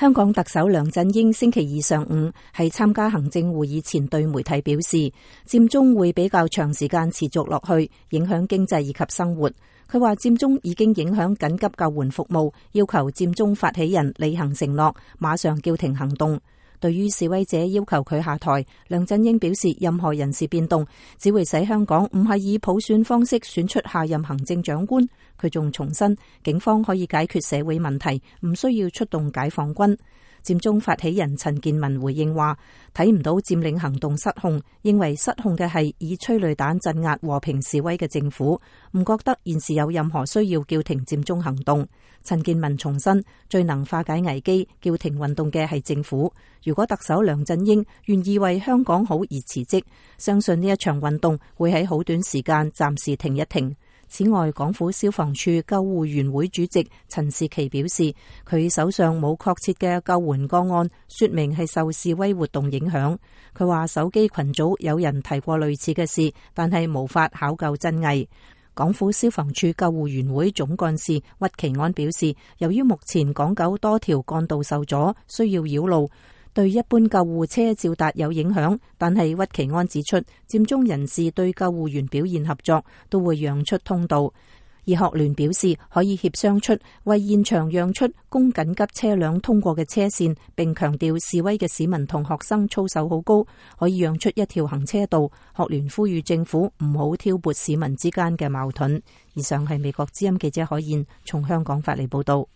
香港特首梁振英星期二上午喺參加行政會議前對媒體表示，佔中會比較長時間持續落去，影響經濟以及生活。佢話佔中已經影響緊急救援服務，要求佔中發起人履行承諾，馬上叫停行動。對於示威者要求佢下台，梁振英表示，任何人事變動只會使香港唔係以普選方式選出下任行政長官。佢仲重申，警方可以解決社會問題，唔需要出動解放軍。佔中發起人陳健民回應話，睇唔到佔領行動失控，認為失控嘅係以催淚彈鎮壓和平示威嘅政府，唔覺得現時有任何需要叫停佔中行動。陳健民重申，最能化解危機、叫停運動嘅係政府。如果特首梁振英願意為香港好而辭職，相信呢一場運動會喺好短時間暫時停一停。此外，港府消防處救護員會主席陳士奇表示，佢手上冇確切嘅救援個案，說明係受示威活動影響。佢話手機群組有人提過類似嘅事，但係無法考究真偽。港府消防處救護員會總幹事屈其安表示，由於目前港九多條幹道受阻，需要繞路，對一般救護車召達有影響，但係屈其安指出，佔中人士對救護員表現合作，都會讓出通道。而學聯表示可以協商出為現場讓出供緊急車輛通過嘅車線，並強調示威嘅市民同學生操守好高，可以讓出一條行車道。學聯呼籲政府唔好挑撥市民之間嘅矛盾。以上係美國之音記者海燕從香港發嚟報道。